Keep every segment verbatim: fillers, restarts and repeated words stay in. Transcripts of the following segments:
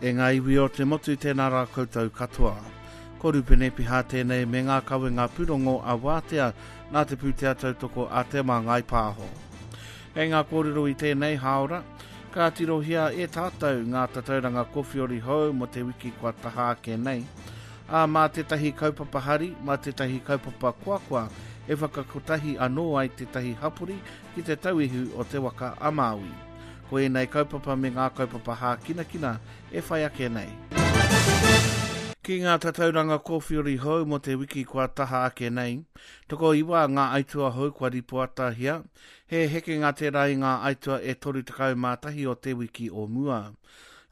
E ngā iwi o te motu tēnā rā koutou katoa. Ko Rupene Piha tēnei me ngā kawenga pūrongo a Wātea nā te pūtea tautoko a Te Māngai Pāho. Kei ngā kōrero i tēnei hāora, ka tirohia e tātou ngā tatauranga kowhiori hou mo te wiki kua taha ake nei. Ā, mā tētahi kaupapa hari, mā tētahi kaupapa koakoa e whakakotahi anō ai tētahi hapori ki te tauihu o te waka a Māui. Ko ēnei kaupapa me ngā kaupapa hākinakina e whai ake nei. Ki ngā tatauranga kōwhiori hou mo te wiki kua taha ake nei, toko iwa ngā aitua hou kua ripoatahia, he hekenga tērā i ngā aitua e toru tekau mā tahi o te wiki o mua.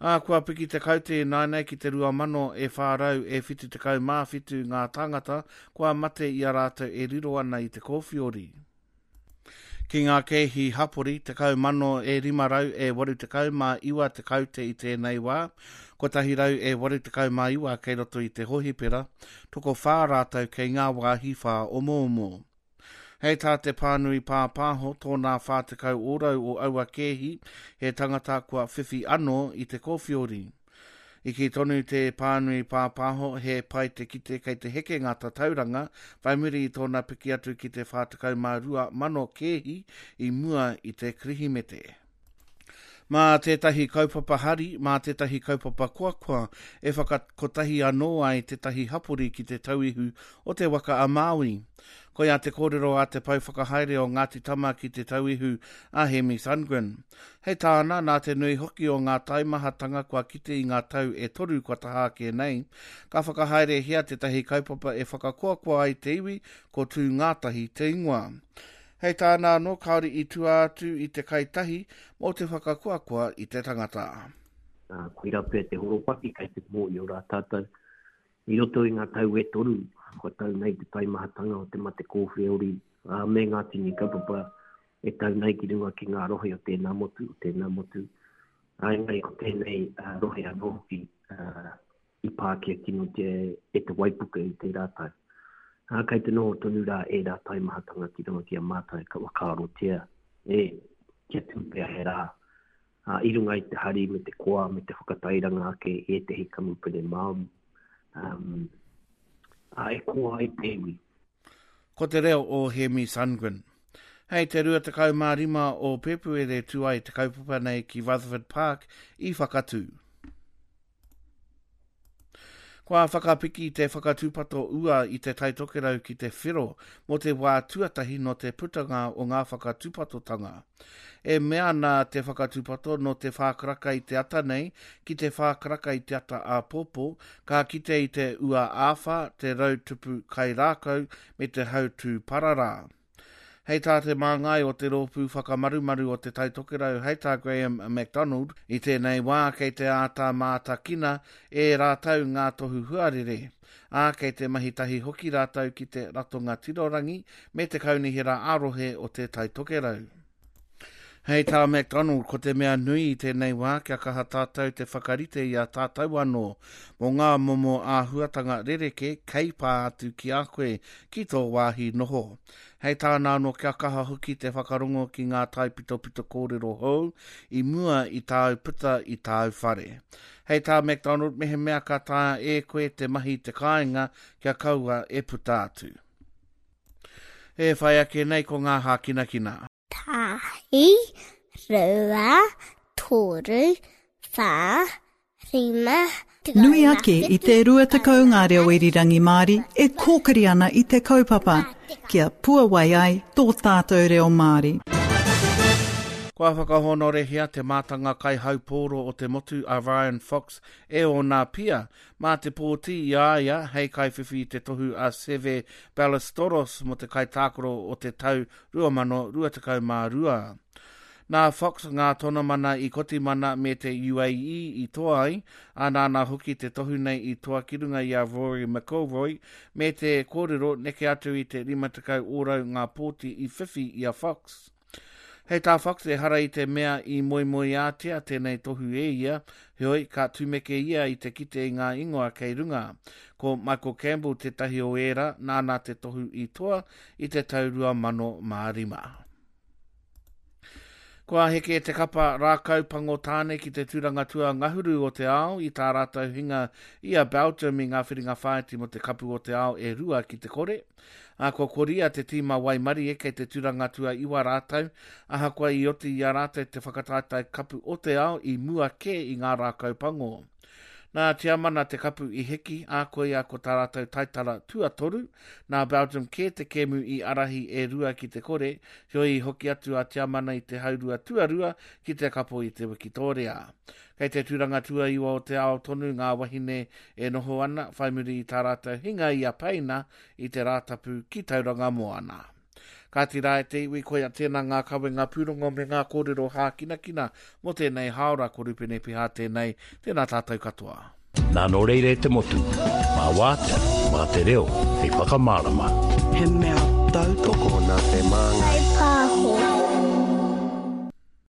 Ā, kua piki te kaute ināianei ki te rua mano e whā rau e whitu tekau mā whitu ngā tāngata kua mate i a rātou e riro ana i te kōwhiori. Ki ngā kēhi hapori, tekau mano e rima rau e waru tekau mā iwa te kaute i tēnei wā, kotahi rau e waru tekau mā iwa kei roto i te hohipera, toko whā rātou kei ngā wāhi whā omoomo. Hei tā te pānui pāpāho, tōnā whā tekau ōrau o aua kēhi, he tangata kua whiwhi anō i te kōwhiori. I kī tonu te pānui pāpāho, he pai te kite kei te heke ngā tatauranga, whai muri i tōna piki atu ki te whā tekau mā rua mano kēhi i mua i te Kirihimete. Mā tētahi kaupapa hari, mā tētahi kaupapa koakoa e whakakotahi anō ai tētahi hapori ki te tauihu o te waka a Māui. Koia te kōrero a te pau whakahaere o Ngāti Tama ki te tauihu a Hemi Sundgren. Hei tāna, nā te nui hoki o ngā taimahatanga kua kite i ngā tau e toru kua taha ake nei, ka whakahaerehia tētahi kaupapa e whakakoakoa ai te iwi ko Tū Ngātahi te ingoa. Hei tāna anō, kāore i tua atu i te kai tahi mō te whakakoakoa i te tangata. Uh, koira pea te horopaki kei te mōhio rā tātou. I roto i ngā tau e toru, kua tau nei te taimahatanga o te mate kōwheori, uh, me ngā tini kaupapa e tau nei ki runga ki ngā rohe o tēnā motu, o tēnā motu. Ā, engari ko tēnei, uh, rohe anō hoki, uh, i pākia kinotia e te waipuke i tērā tau. Ā, kei te noho tonu rā ērā taimahatanga ki runga ki a mātou ka whakaarotia e kia tū pea he rā, ā, i runga i te hari me te koa me te whakatairanga ake i ētehi kamupene Māori, um, ā, e koa ai te iwi. Ko te reo o Hemi Sundgren. Hei te rua tekau mā rima o Pēpuere tū ai te kaupapa nei ki Rutherford Park i Whakatū. Kua whakapiki te whakatūpato ua i te Tai Tokerau ki te whero mō te wā tuatahi nō te putanga o ngā whakatūpatotanga. E mea ana te whakatūpato nō te whā karaka i te ata nei ki te whā karaka i te ata āpōpō, ka kite i te ua āwhā, te rau tupu kai rākau me te hautū pararā. Hei tā te māngai o te rōpū whakamarumaru o te Tai Tokerau, hei tā Graham MacDonald, i tēnei wā kei te āta mātakina e rātou ngā tohu huarere. Ā, kei te mahi tahi hoki rātou ki te ratonga tirorangi me te kaunihera ā-rohe o te Tai Tokerau. Hei tā MacDonald, ko te mea nui i tēnei wā kia kaha tātou te whakarite i a tātou anō mō ngā momo āhuatanga rereke kei pā atu ki a koe ki tō wāhi noho. Hei tāna anō kia kaha hoki te whakarongo ki ngā taipitopito kōrero hou i mua i tāu puta i tāu whare. Hei tā MacDonald, mehemea ka taea e koe te mahi te kāinga kia kaua e puta atu. E whai ake nei ko ngā hākinakina. Tahi, rua, toru, whā, rima, Nui ake i te rua tekau ngā reo irirangi Māori e kōkiri ana i te kaupapa, kia puawai ai tō tātou reo Māori. Kua whakahonorehia te mātanga kaihaupōro o te motu a Ryan Fox e ōna pia mā te pōti i a ia hei kaiwhiwhi i te tohu a Seve Ballesteros mō te kaitākaro o te tau rua mano rua tekau mā rua. Nā Fox ngā tonomana i Kotimana me te U A E i toa ai, ā nāna hoki te tohu nei i toa ki runga i a Rory McIlroy me te kōrero neke atu i te rima tekau ōrau ngā pōti i whiwhi i a Fox. Hei tā Fox, ehara i te mea i moemoeātea tēnei tohu e ia, heoi ka tumeke ia i te kite i ngā ingoa kei runga. Ko Michael Campbell tētahi o ērā, nāna te tohu i toa i te tau rua mano mā rima. Kua heke te kapa rākau pango tāne ki te tūranga tua ngahuru o te ao i tā rātou hinga i a Belgium i ngā whiringa whāiti mo te kapu o te ao e rua ki te kore. A kua koria te tīma waimarie kei te tūranga tua iwa rātou, ahakoa i oti i a rātou te whakataetae kapu o te ao i mua kē i ngā rākau pango. Nā Tiamana te kapu i heki, a koia ko tā rātou taitara tuatoru, nā Belgium kē te kēmu i arahi e rua ki te kore, heoi i hoki atu a Tiamana i te haurua tuarua ki te kapo i te Wikitoria. Kei te tūranga tuaiwa o te ao tonu ngā wahine e noho ana, whai muri i tā rātou hinga i a Peina i te Rātapu ki Tauranga Moana. Kāti rā e te iwi, koia tēnā ngā kawenga pūrongo me ngā kōrero hākinakina mō tēnei haora ko Rupene Piha tēnei, tēnā tātou katoa. Nā nō reira e te motu, mā wātea, mā te reo, hei whakamārama. He mea tautoko nā te māngai.